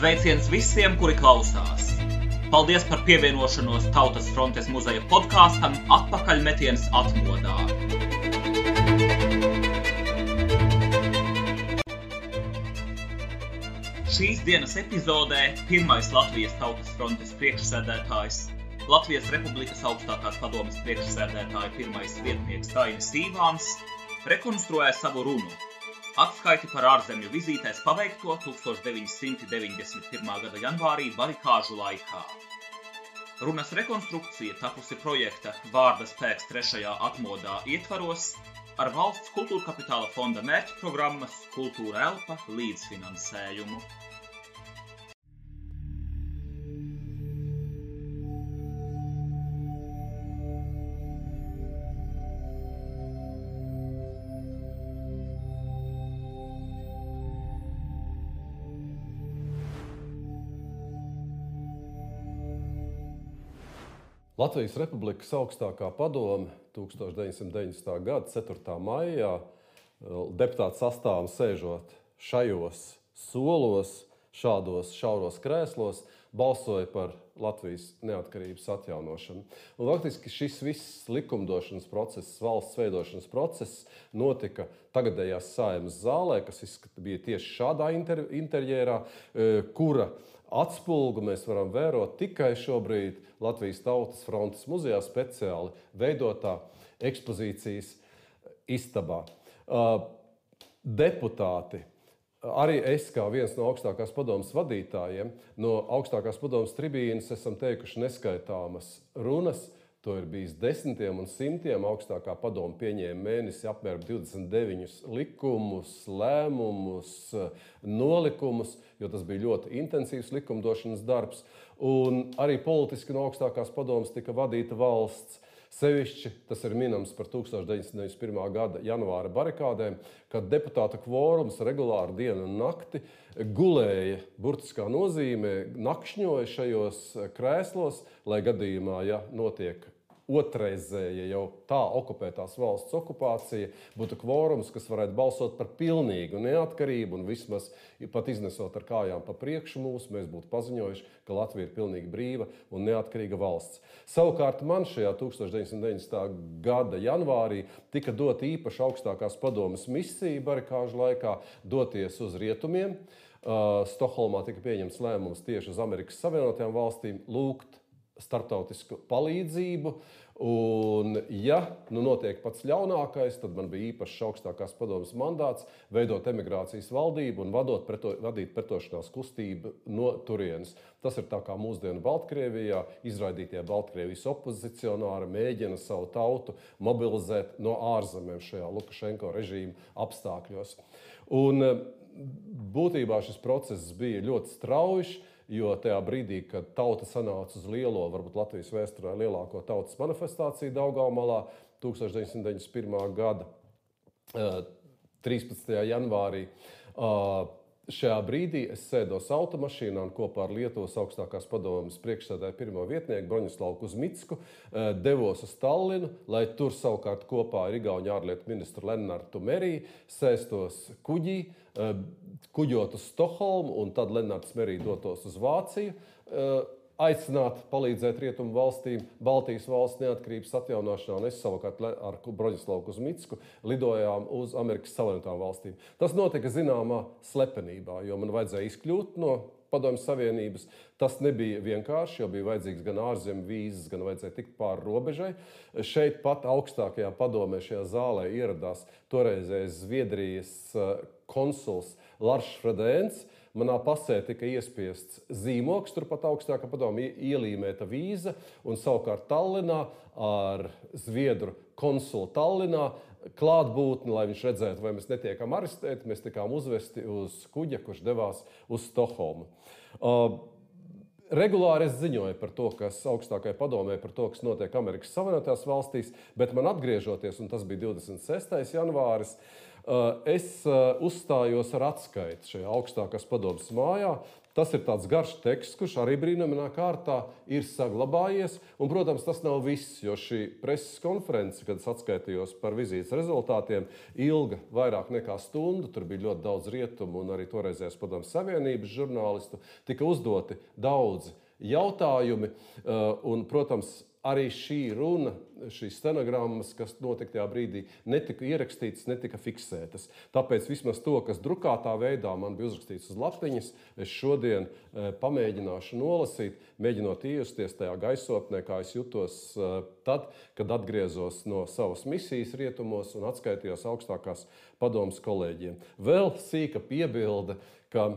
Sveiciens visiem, kuri klausās! Paldies par pievienošanos Tautas frontes muzeja podkāstam Atpakaļmetiens atmodā. Šīs dienas epizodē pirmais Latvijas Tautas frontes priekšsēdētājs, Latvijas Republikas augstākās padomes priekšsēdētāja pirmais vietnieks Dainis Īvāns rekonstruē savu runu. Atskaiti par ārzemju vizītēs paveikto 1991. gada janvārī barikāžu laikā. Runas rekonstrukcija tapusi projekta Vārda spēks 3. atmodā ietvaros ar Valsts kultūrkapitāla fonda mērķprogrammas Kultūra elpa līdzfinansējumu. Latvijas Republikas augstākā padome 1990. gada 4. maijā deputātu sastāvam sēžot šajos solos, šādos šauros krēslos, balsoja par Latvijas neatkarības atjaunošanu. Un faktiski šis viss likumdošanas process, valsts veidošanas process notika tagadējās Saeimas zālē, kas bija tieši šādā interjerā, kura atspulgu mēs varam vērot tikai šobrīd Latvijas Tautas frontes muzejā speciāli veidotā ekspozīcijas istabā. Deputāti, arī es kā viens no augstākās padomes vadītājiem, no augstākās padomes tribīnes esam teikuši neskaitāmas runas. To ir bijis desmitiem un simtiem. Augstākā padome pieņēma mēnesi apmēram 29 likumus, lēmumus, nolikumus, jo tas bija ļoti intensīvs likumdošanas darbs. Un arī politiski no augstākās padomes tika vadīta valsts. Sevišķi tas ir minams par 1991. gada janvāra barikādēm, kad deputāta kvorums regulāri dienu un nakti gulēja, burtiskā nozīmē, nakšņoja šajos krēslos, lai gadījumā, ja notiek otrreizēja jau tā okupētās valsts okupācija, būtu kvorums, kas varētu balsot par pilnīgu neatkarību un vismaz pat iznesot ar kājām pa priekšu mūs, mēs būtu paziņojuši, ka Latvija ir pilnīgi brīva un neatkarīga valsts. Savukārt man šajā 1990. gada janvārī tika dota īpaša augstākās padomes misija barikāžu laikā doties uz rietumiem. Stokholmā tika pieņemts lēmums tieši uz Amerikas Savienotajām valstīm lūgt starptautisku palīdzību, un ja notiek pats ļaunākais, tad man bija īpašs augstākās padomes mandāts veidot emigrācijas valdību un vadīt pretošanās kustību no turienes. Tas ir tā kā mūsdienu Baltkrievijā izraidītie Baltkrievijas opozicionāri mēģina savu tautu mobilizēt no ārzemēm šajā Lukašenko režīma apstākļos. Un būtībā šis process bija ļoti strauji, jo tajā brīdī, kad tauta sanāca uz lielo, varbūt Latvijas vēsturē lielāko tautas manifestāciju Daugavmalā 1991. gada 13. janvārī, šajā brīdī es sēdos automašīnā un kopā ar Lietuvas augstākās padomes priekšsēdētāju pirmo vietnieku Broņislavu Kuzmicku devos uz Tallinu, lai tur savukārt kopā ar Igauņu ārlietu ministru Lennartu Meriju sēstos kuģī, kuģot uz Stokholmu, un tad Lennarts Merī dotos uz Vāciju, aicināt palīdzēt rietumu valstīm Baltijas valsts neatkarības atjaunošanā, un es savukārt ar Broņislavu Kuzmicku lidojām uz Amerikas Savienotām valstīm. Tas notika zināmā slepenībā, jo man vajadzēja izkļūt no Padomju Savienības. Tas nebija vienkārši, jo bija vajadzīgs gan ārzemju vīzas, gan vajadzēja tikt pāri robežai. Šeit pat augstākajā padomē šajā zālē ieradās toreizējais Zviedrijas konsuls Lars Fredēns. Manā pasē tika iespiests zīmoks, turpat augstākā padome ielīmēta vīza, un savukārt Tallinā ar Zviedru konsulu Tallinā klātbūtni, lai viņš redzētu, vai mēs netiekam arestēti, mēs tikām uzvesti uz kuģa, kurš devās uz Stokholmu. Regulāri es ziņoju par to, kas augstākajai padomē, par to, kas notiek Amerikas Savienotajās valstīs, bet man atgriežoties, un tas bija 26. janvāris, es uzstājos ar atskaiti šajā augstākās padomes mājā, Tas ir tāds garš teksts, kurš arī brīnumainā kārtā ir saglabājies. Un, protams, tas nav viss, jo šī preses konference, kad es atskaitījos par vizītes rezultātiem, ilga vairāk nekā stundu. Tur bija ļoti daudz rietumu un arī toreizējās Padomju Savienības žurnālistu. Tika uzdoti daudzi jautājumi un, protams, arī šī runa, šīs stenogrammas, kas notika tajā brīdī, netika ierakstītas, netika fiksētas. Tāpēc vismaz to, kas drukātā veidā man bija uzrakstīts uz lapiņas, es šodien pamēģināšu nolasīt, mēģinot iejusties tajā gaisotnē, kā es jutos tad, kad atgriezos no savas misijas rietumos un atskaitījos augstākās padomes kolēģiem. Vēl sīka piebilde, ka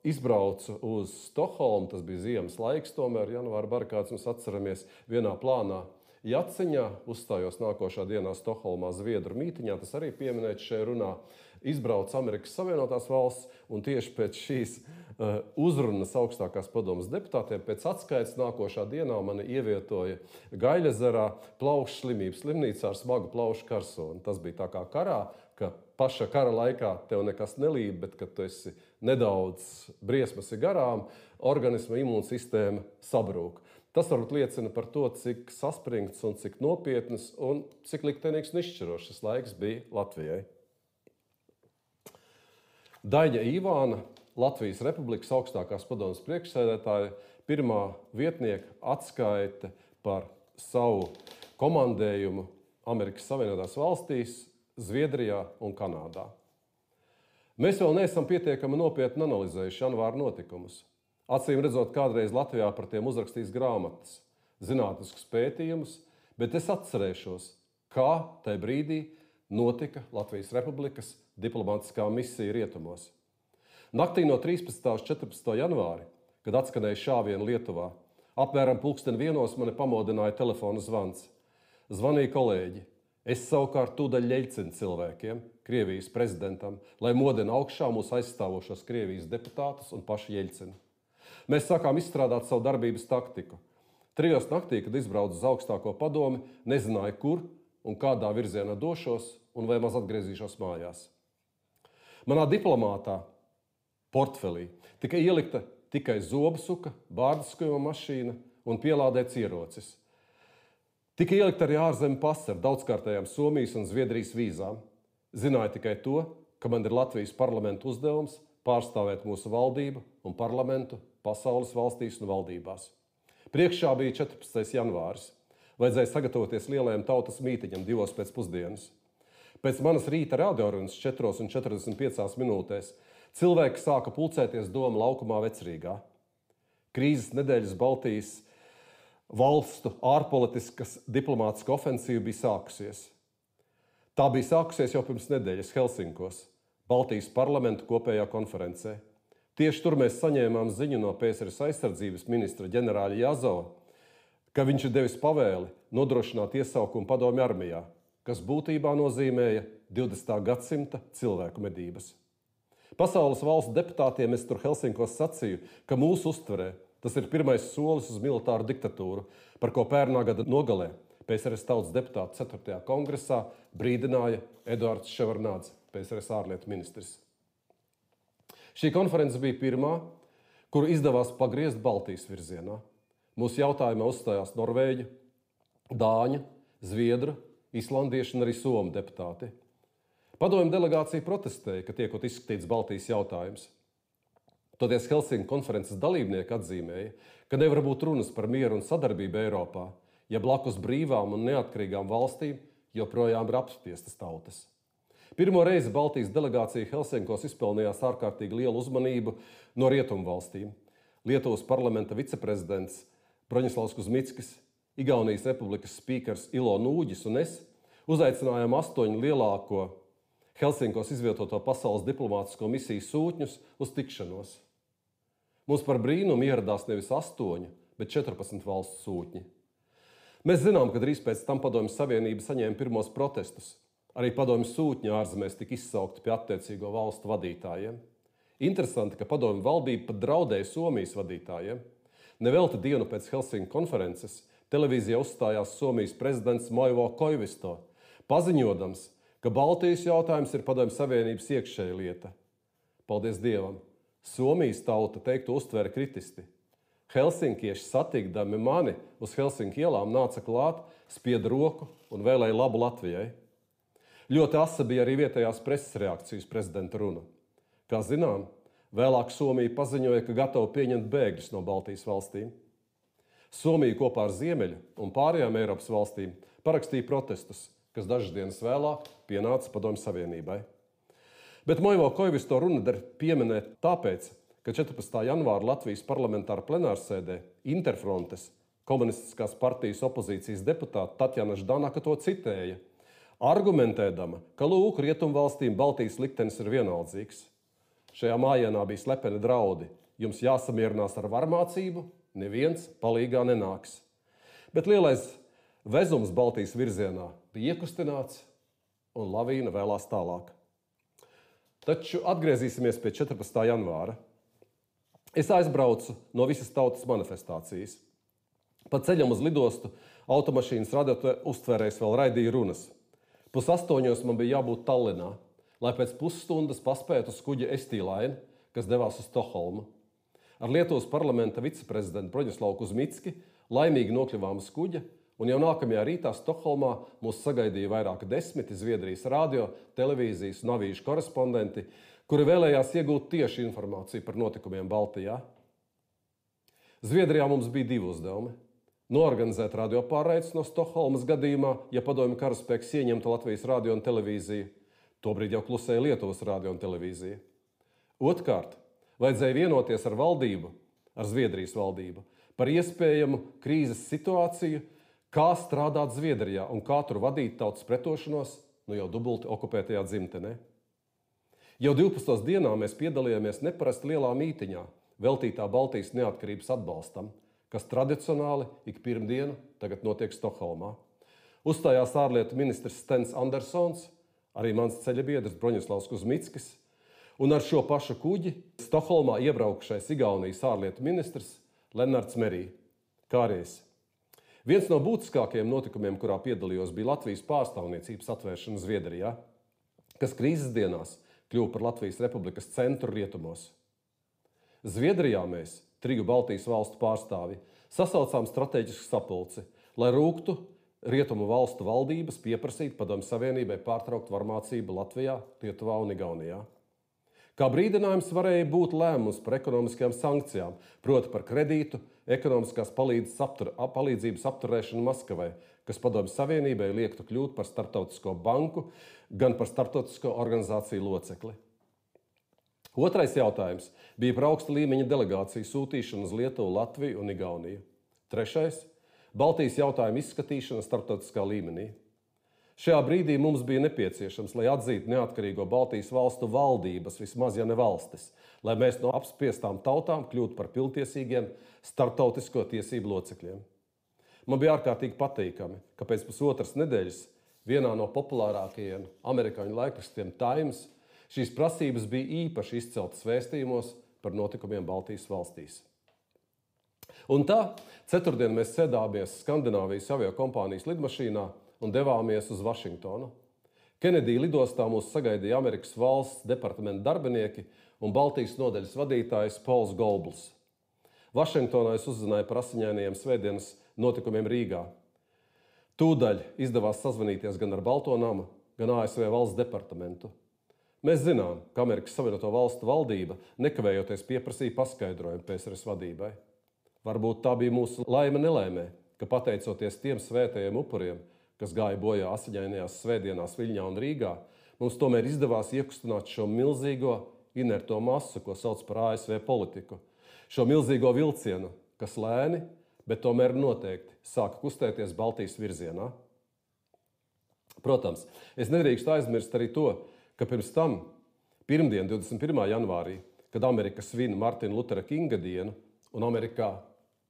izbraucu uz Stokholmu, tas bija ziemas laiks, tomēr janvāra barikāds mums atceramies vienā plānā Jaciņā, uzstājos nākošā dienā Stokholmā Zviedru mītiņā, tas arī pieminēts šajā runā, izbraucu Amerikas Savienotās valsts un tieši pēc šīs uzrunas augstākās padomes deputātiem pēc atskaites nākošā dienā mani ievietoja Gaļezerā plaušu slimības slimnīcā ar smagu plaušu karsoni. Tas bija tā kā karā, ka paša kara laikā tev nekas nelīd, bet kad tu esi nedaudz briesmas ir garām, organisma imūnsistēma sabrūk. Tas varbūt liecina par to, cik saspringts un cik nopietnas un cik liktenīgs un izšķirošs šis laiks bija Latvijai. Daļa Ivāna, Latvijas Republikas augstākās padomes priekšsēdētāja, pirmā vietnieka atskaite par savu komandējumu Amerikas Savienotās valstīs, Zviedrijā un Kanādā. Mēs vēl neesam pietiekami nopietni analizējuši janvāra notikumus. Acīm redzot, kādreiz Latvijā par tiem uzrakstīs grāmatas, zinātniskus pētījumus, bet es atcerēšos, kā tajā brīdī notika Latvijas Republikas diplomātiskā misija rietumos. Naktī no 13. uz 14. janvāri, kad atskanēja šāviena Lietuvā, apmēram 1:00 mani pamodināja telefona zvans. Zvanīja kolēģi. Es savukārt tūdaļ ļeļcinu cilvēkiem, Krievijas prezidentam, lai modina augšā mūsu aizstāvošos Krievijas deputātus un pašu Jeļcinu. Mēs sākām izstrādāt savu darbības taktiku. 3:00 naktī, kad izbraucu uz augstāko padomi, nezināju, kur un kādā virzienā došos un vai maz atgriezīšos mājās. Manā diplomātā portfelī tika ielikta tikai zobsuka, bārdiskojuma mašīna un pielādēts ierocis. Tika ielikt arī ārzemju pase ar daudzkārtējām Somijas un Zviedrijas vīzām. Zināju tikai to, ka man ir Latvijas parlamenta uzdevums pārstāvēt mūsu valdību un parlamentu pasaules valstīs un valdībās. Priekšā bija 14. janvāris. Vajadzēja sagatavoties lielajam tautas mītiņam 2 pēcpusdienas. Pēc manas rīta radiorunas 4:45 minūtēs cilvēki sāka pulcēties Doma laukumā Vecrīgā. Krīzes nedēļas Baltijas valstu ārpolitiskas diplomātiska ofensīva bija sākusies. Tā bija sākusies jau pirms nedēļas Helsinkos, Baltijas parlamentu kopējā konferencē. Tieši tur mēs saņēmām ziņu no PSRS aizsardzības ministra ģenerāļa Jazova, ka viņš ir devis pavēli nodrošināt iesaukumu padomju armijā, kas būtībā nozīmēja 20. gadsimta cilvēku medības. Pasaules valstu deputātiem es tur Helsinkos sacīju, ka mūsu uztverē tas ir pirmais solis uz militāru diktatūru, par ko pērnā gada nogalē PSRS tautas deputātu 4. kongresā brīdināja Eduards Ševarnādze, PSRS ārlietu ministrs. Šī konference bija pirmā, kuru izdevās pagriezt Baltijas virzienā. Mūsu jautājumā uzstājās norvēģu, dāņu, zviedru, islandiešu un arī somu deputāti. Padomju delegācija protestēja, ka tiekot izskatīts Baltijas jautājums. Toties Helsinku konferences dalībnieki atzīmēja, ka nevar būt runas par mieru un sadarbību Eiropā, ja blakus brīvām un neatkarīgām valstīm joprojām ir apspiestas tautas. Pirmo reizi Baltijas delegācija Helsinkos izpelnījās ārkārtīgi lielu uzmanību no rietumu valstīm. Lietuvas parlamenta viceprezidents Broņislavs Kuzmickis, Igaunijas republikas spīkers Ilo Nūģis un es uzaicinājām 8 lielāko Helsinkos izvietoto pasaules diplomātisko misiju sūtņus uz tikšanos. Mums par brīnumu ieradās nevis 8, bet 14 valstu sūtņi. Mēs zinām, ka drīz pēc tam Padomju Savienība saņēma pirmos protestus. Arī padomju sūtņi ārzemēs tika izsaukti pie attiecīgo valstu vadītājiem. Interesanti, ka padomju valdība pat draudēja Somijas vadītājiem. Nevelti dienu pēc Helsinku konferences televīzijā uzstājās Somijas prezidents Moivo Koivisto, paziņodams, ka Baltijas jautājums ir Padomju Savienības iekšēja lieta. Paldies Dievam! Somijas tauta teiktu uztvēra kritiski. Helsinkieši satikdami mani uz Helsinku ielām nāca klāt, spieda roku un vēlēja labu Latvijai. Ļoti asa bija arī vietējās preses reakcijas prezidenta runa. Kā zinām, vēlāk Somija paziņoja, ka gatava pieņemt bēgļus no Baltijas valstīm. Somija kopā ar Ziemeļu un pārējām Eiropas valstīm parakstīja protestus, kas dažas dienas vēlāk pienāca Padomju Savienībai. Bet Moivo Koivisto runa der pieminēt tāpēc, ka 14. janvāra Latvijas parlamentāra plenārsēdē Interfrontes komunistiskās partijas opozīcijas deputāta Tatjana Ždanaka to citēja, argumentēdama, ka lūk, rietumvalstīm Baltijas liktenis ir vienaldzīgs. Šajā mājienā bija slepeni draudi. Jums jāsamierinās ar varmācību, neviens palīgā nenāks. Bet lielais vezums Baltijas virzienā bija iekustināts un lavīna vēlās tālāk. Taču atgriezīsimies pie 14. janvāra. Es aizbraucu no visas tautas manifestācijas. Pa ceļam uz lidostu automašīnas radiotē uztvērējs vēl raidīja runas. 7:30 man bija jābūt Tallinā, lai pēc pusstundas paspētu uz kuģa Estīlaini, kas devās uz Stokholmu. Ar Lietuvas parlamenta viceprezidentu Broņislavu Kuzmicki laimīgi nokļuvām uz kuģa, un jau nākamajā rītā Stokholmā mūs sagaidīja vairāki 10 Zviedrijas radio, televīzijas un avīžu korespondenti, kuri vēlējās iegūt tieši informāciju par notikumiem Baltijā. Zviedrijā mums bija 2 uzdevumi. Noorganizēt radiopārraides no Stokholmas gadījumā, ja padomju karaspēks ieņemtu Latvijas radio un televīziju. Tobrīd jau klusēja Lietuvas radio un televīzija. Otrkārt, vajadzēja vienoties ar valdību, ar Zviedrijas valdību, par iespējamu krīzes situāciju, kā strādāt Zviedrijā un kā tur vadīt tautas pretošanos, jau dubulti okupētajā dzimtenē. Jau 12. dienā mēs piedalījāmies neparasti lielā mītiņā, veltītā Baltijas neatkarības atbalstam, kas tradicionāli ik pirmdienu tagad notiek Stokholmā. Uzstājās ārlietu ministrs Stens Andersons, arī mans ceļabiedrs Broņislavs Kuzmickis, un ar šo pašu kuģi Stokholmā iebraukšais Igaunijas ārlietu ministrs Lennarts Merī, kā arī es. Viens no būtiskākajiem notikumiem, kurā piedalījos, bija Latvijas pārstāvniecības atvēršana Zviedrijā, kas krīzes dienās kļuva par Latvijas Republikas centru rietumos. Zviedrijā mēs, 3 Baltijas valstu pārstāvi, sasaucām strateģisku sapulci, lai rūgtu rietumu valstu valdības pieprasīt Padomju Savienībai pārtraukt varmācību Latvijā, Lietuvā un Igaunijā. Kā brīdinājums varēja būt lēmums par ekonomiskajām sankcijām, proti par kredītu, ekonomiskās palīdzības apturēšanu Maskavai, kas Padomju Savienībai liektu kļūt par starptautisko banku, gan par starptautisko organizāciju locekli. Otrais jautājums bija par augsta līmeņa delegāciju sūtīšanu uz Lietuvu, Latviju un Igauniju. Trešais – Baltijas jautājumu izskatīšana starptautiskā līmenī. Šajā brīdī mums bija nepieciešams, lai atzītu neatkarīgo Baltijas valstu valdības, vismaz ja ne valstis, lai mēs no apspiestām tautām kļūtu par pilntiesīgiem starptautisko tiesību locekļiem. Man bija ārkārtīgi patīkami, ka pēc pusotras nedēļas vienā no populārākajiem amerikāņu laikrakstiem Times šīs prasības bija īpaši izceltas vēstījumos par notikumiem Baltijas valstīs. Un tā, ceturtdien mēs sēdāmies Skandināvijas aviokompānijas lidmašīnā un devāmies uz Vašingtonu. Kenedija lidostā mūs sagaidīja Amerikas valsts departamenta darbinieki un Baltijas nodaļas vadītājs Pols Golbls. Vašingtonā es uzzināju par asiņainajiem svētdienas notikumiem Rīgā. Tūdaļ izdevās sazvanīties gan ar Balto namu, gan ASV valsts departamentu. Mēs zinām, ka Amerikas Savienoto Valstu valdība nekavējoties pieprasīja paskaidrojumu PSRS vadībai. Varbūt tā bija mūsu laime nelēmē, ka pateicoties tiem svētajiem upuriem, kas gāja bojā asiņainajās svētdienās Viļņā un Rīgā, mums tomēr izdevās iekustināt šo milzīgo inerto masu, ko sauc par ASV politiku. Šo milzīgo vilcienu, kas lēni, bet tomēr noteikti sāka kustēties Baltijas virzienā. Protams, es nedrīkstu aizmirst arī to, ka pirms tam, pirmdien, 21. janvārī, kad Amerika svin Martina Lutera Kinga dienu, un Amerikā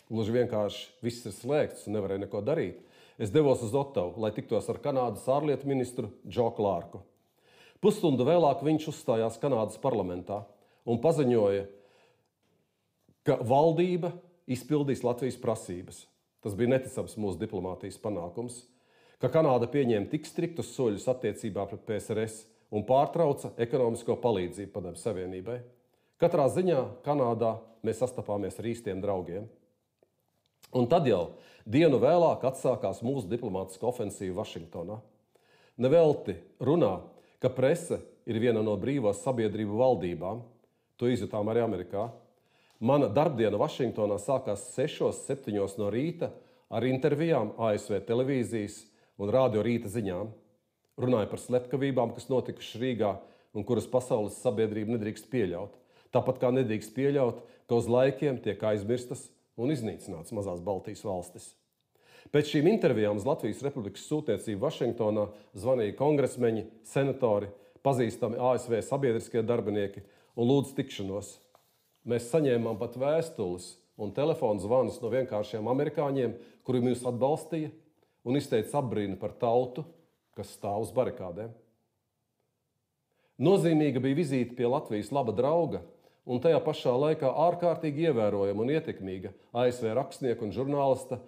gluži vienkārši viss ir slēgts un nevarēja neko darīt, es devos uz Ottavu, lai tiktos ar Kanādas ārlietu ministru Džo Klārku. Pusstundu vēlāk viņš uzstājās Kanādas parlamentā un paziņoja, ka valdība izpildīs Latvijas prasības. Tas bija neticams mūsu diplomātijas panākums, ka Kanāda pieņēma tik striktus soļus attiecībā pret PSRS un pārtrauca ekonomisko palīdzību Padomju Savienībai. Katrā ziņā Kanādā mēs sastapāmies ar īstiem draugiem. Un tad jau dienu vēlāk atsākās mūsu diplomātiskā ofensīva Vašingtonā. Nevelti runā, ka prese ir viena no brīvās sabiedrību valdībām. To izjutām arī Amerikā. Mana darbdiena Vašingtonā sākās 6-7 no rīta ar intervijām ASV televīzijas un radio rīta ziņām. Runāja par slepkavībām, kas notikušas Rīgā un kuras pasaules sabiedrība nedrīkst pieļaut. Tāpat kā nedrīkst pieļaut, ka uz laikiem tiek aizmirstas un iznīcināts mazās Baltijas valstis. Pēc šīm intervijām uz Latvijas Republikas sūtniecību Vašingtonā zvanīja kongresmeņi, senatori, pazīstami ASV sabiedriskie darbinieki un lūdza tikšanos. Mēs saņēmām pat vēstules un telefonu zvanus no vienkāršiem amerikāņiem, kuri mūs atbalstīja un izteica apbrīnu par tautu, kas stāv uz barikādēm. Nozīmīga bija vizīte pie Latvijas laba drauga un tajā pašā laikā ārkārtīgi ievērojama un ietekmīga ASV rakstnieka un žurnālista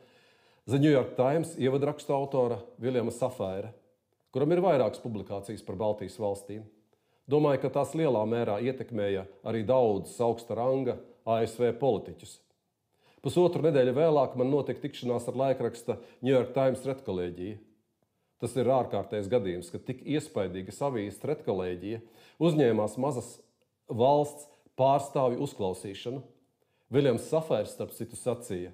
The New York Times ievadrakstu autora Viljama Safēra, kuram ir vairākas publikācijas par Baltijas valstīm. Domāju, ka tās lielā mērā ietekmēja arī daudzus augsta ranga ASV politiķus. Pusotru nedēļu vēlāk man notika tikšanās ar laikraksta New York Times redkolēģiju. Tas ir ārkārtējs gadījums, ka tik iespaidīgas avīzes redkolēģija uzņēmās mazas valsts pārstāvju uzklausīšanu. Viljams Safērs, starp citu, sacīja,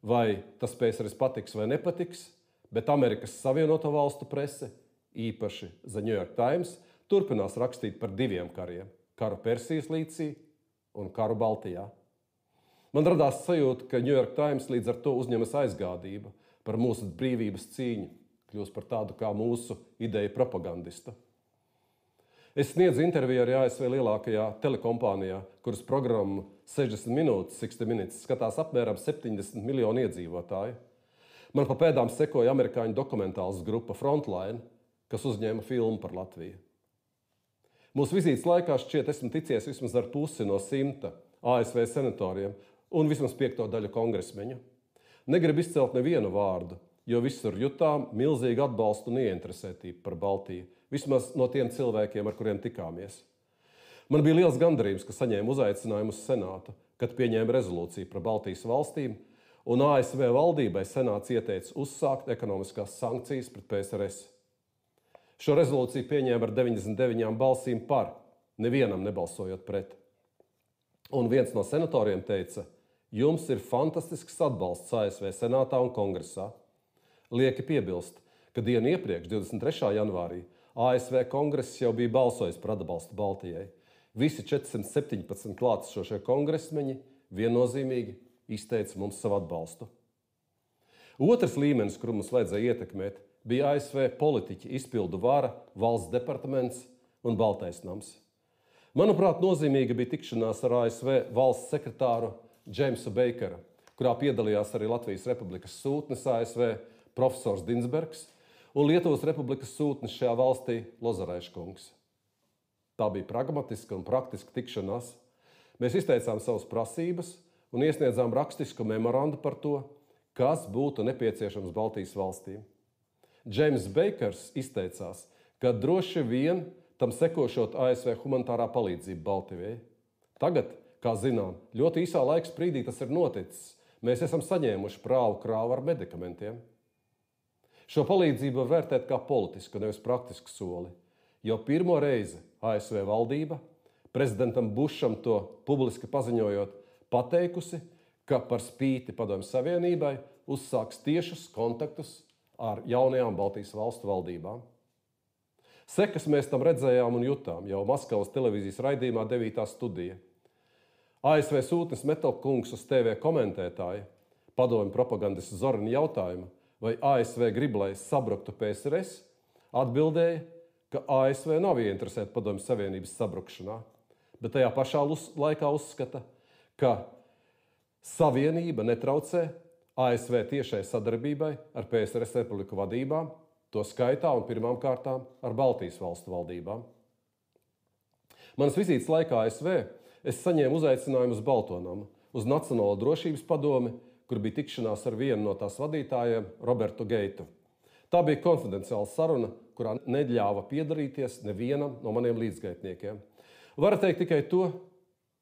vai tas PSRS patiks vai nepatiks, bet Amerikas Savienoto Valstu prese, īpaši The New York Times, turpinās rakstīt par 2 kariem – karu Persijas līcī un karu Baltijā. Man radās sajūta, ka New York Times līdz ar to uzņemas aizgādība par mūsu brīvības cīņu, kļūst par tādu kā mūsu ideju propagandistu. Es sniedzu interviju arī ASV lielākajā telekompānijā, kuras programmu 60 minūtes, 60 minutes skatās apmēram 70 miljoni iedzīvotāju. Man pa pēdām sekoja amerikāņu dokumentāls grupa Frontline, kas uzņēma filmu par Latviju. Mūsu vizītes laikā šķiet esmu ticies vismaz ar pusi no 100 ASV senatoriem un vismaz 5. daļu kongresmeņu. Negribu izcelt nevienu vārdu, jo visur jutām milzīgu atbalstu un ieinteresētību par Baltiju, vismaz no tiem cilvēkiem, ar kuriem tikāmies. Man bija liels gandarījums, ka saņēmu uzaicinājumu uz Senātu, kad pieņēma rezolūciju par Baltijas valstīm, un ASV valdībai Senāts ieteica uzsākt ekonomiskās sankcijas pret PSRS. Šo rezolūciju pieņēma ar 99 balsīm par, nevienam nebalsojot pret. Un viens no senatoriem teica, jums ir fantastisks atbalsts ASV Senātā un Kongresā. Lieki piebilst, ka dienu iepriekš, 23. janvārī, ASV Kongress jau bija balsojis par atbalstu Baltijai. Visi 417 klātesošie kongresmeņi viennozīmīgi izteica mums savu atbalstu. Otrs līmenis, kuru mums vajadzēja ietekmēt, bija ASV politiķi, izpildu vara, valsts departaments un Baltais nams. Manuprāt, nozīmīga bija tikšanās ar ASV valsts sekretāru Jamesu Bakeru, kurā piedalījās arī Latvijas Republikas sūtnis ASV profesors Dinsbergs un Lietuvas Republikas sūtnis šajā valstī Lozaraiškungs. Tā bija pragmatiska un praktiska tikšanās. Mēs izteicām savas prasības un iesniedzām rakstisku memorandu par to, kas būtu nepieciešams Baltijas valstīm. James Bakers izteicās, ka droši vien tam sekošot ASV humanitārā palīdzība Baltijai. Tagad, kā zinām, ļoti īsā laika sprīdī tas ir noticis. Mēs esam saņēmuši krāvu ar medikamentiem. Šo palīdzību var vērtēt kā politisku, nevis praktisku soli. Jau pirmo reizi ASV valdība, prezidentam Bušam to publiski paziņojot, pateikusi, ka par spīti Padomju Savienībai uzsāks tiešus kontaktus ar jaunajām Baltijas valstu valdībām. Sekas mēs tam redzējām un jutām jau Maskavas televīzijas raidījumā 9. studija. ASV sūtnis Metelkungs uz TV komentētāja padomju propagandistu Zorina jautājumu, vai ASV grib, lai sabruktu PSRS, atbildēja, ka ASV nav ieinteresēta Padomju Savienības sabrukšanā, bet tajā pašā laikā uzskata, ka Savienība netraucē ASV tiešai sadarbībai ar PSRS republiku vadībām, to skaitā un pirmām kārtām ar Baltijas valstu valdībām. Manas vizītes laikā ASV es saņēmu uzaicinājumu uz Balto namu, uz Nacionālo drošības padomi, kur bija tikšanās ar vienu no tās vadītājiem, Robertu Geitu. Tā bija konfidenciāla saruna, kurā neļāva piedalīties nevienam no maniem līdzgaitniekiem. Varu teikt tikai to,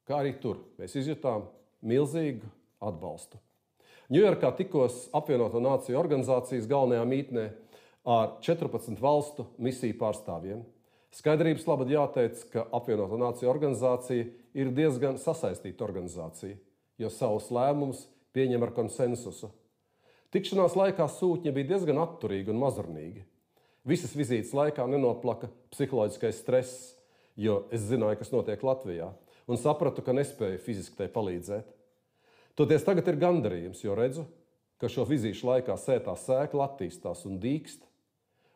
kā arī tur mēs izjutām milzīgu atbalstu. Ņujorkā tikos apvienoto nāciju organizācijas galvenajā mītnē ar 14 valstu misiju pārstāvjiem. Skaidrības labad jāteic, ka apvienoto nāciju organizācija ir diezgan sasaistīta organizācija, jo savus lēmumus pieņem ar konsensusu. Tikšanās laikā sūtņi bija diezgan atturīgi un mazurnīgi. Visas vizītes laikā nenoplaka psiholoģiskais stress, jo es zināju, kas notiek Latvijā, un sapratu, ka nespēju fiziski tai palīdzēt. Toties tagad ir gandarījums, jo redzu, ka šo vizīšu laikā sētā sēkla attīstās un dīkst,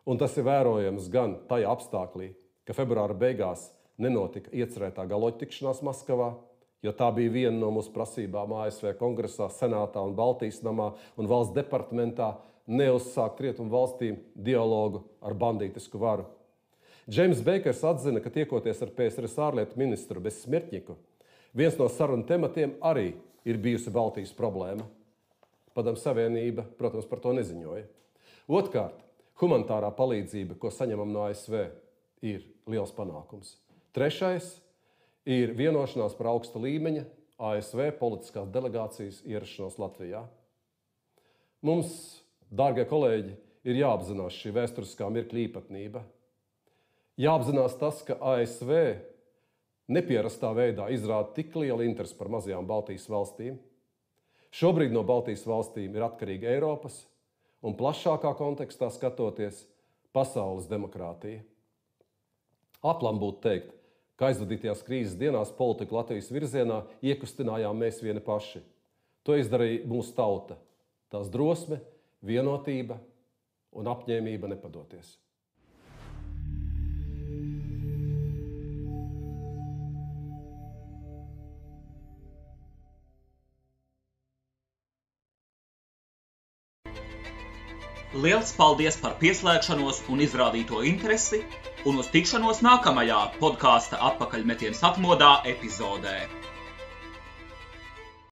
un tas ir vērojams gan tajā apstāklī, ka februāra beigās nenotika iecerētā galoķa tikšanās Maskavā, jo tā bija viena no mūsu prasībām ASV Kongresā, Senātā un Baltijas namā un valsts departamentā neuzsākt rietumu valstīm dialogu ar bandītisku varu. Džeims Beikers atzina, ka tiekoties ar PSRS ārlietu ministru Besmirtņiku, viens no sarunu tematiem arī ir bijusi Baltijas problēma. Padomju Savienība, protams, par to neziņoja. Otkārt, humanitārā palīdzība, ko saņemam no ASV, ir liels panākums. Trešais ir vienošanās par augsta līmeņa ASV politiskās delegācijas ierašanos Latvijā. Mums, dārgie kolēģi, ir jāapzinās šī vēsturiskā mirkļa īpatnība. Jāapzinās tas, ka ASV nepierastā veidā izrāda tik lielu interesi par mazajām Baltijas valstīm. Šobrīd no Baltijas valstīm ir atkarīga Eiropas un plašākā kontekstā skatoties pasaules demokrātija. Aplam būtu teikt, ka aizvadītajās krīzes dienās politiku Latvijas virzienā iekustinājām mēs vieni paši. To izdarīja mūsu tauta, tās drosme, vienotība un apņēmība nepadoties. Liels paldies par pieslēgšanos un izrādīto interesi, un uz tikšanos nākamajā podkāsta Atpakaļmetiens atmodā epizodē.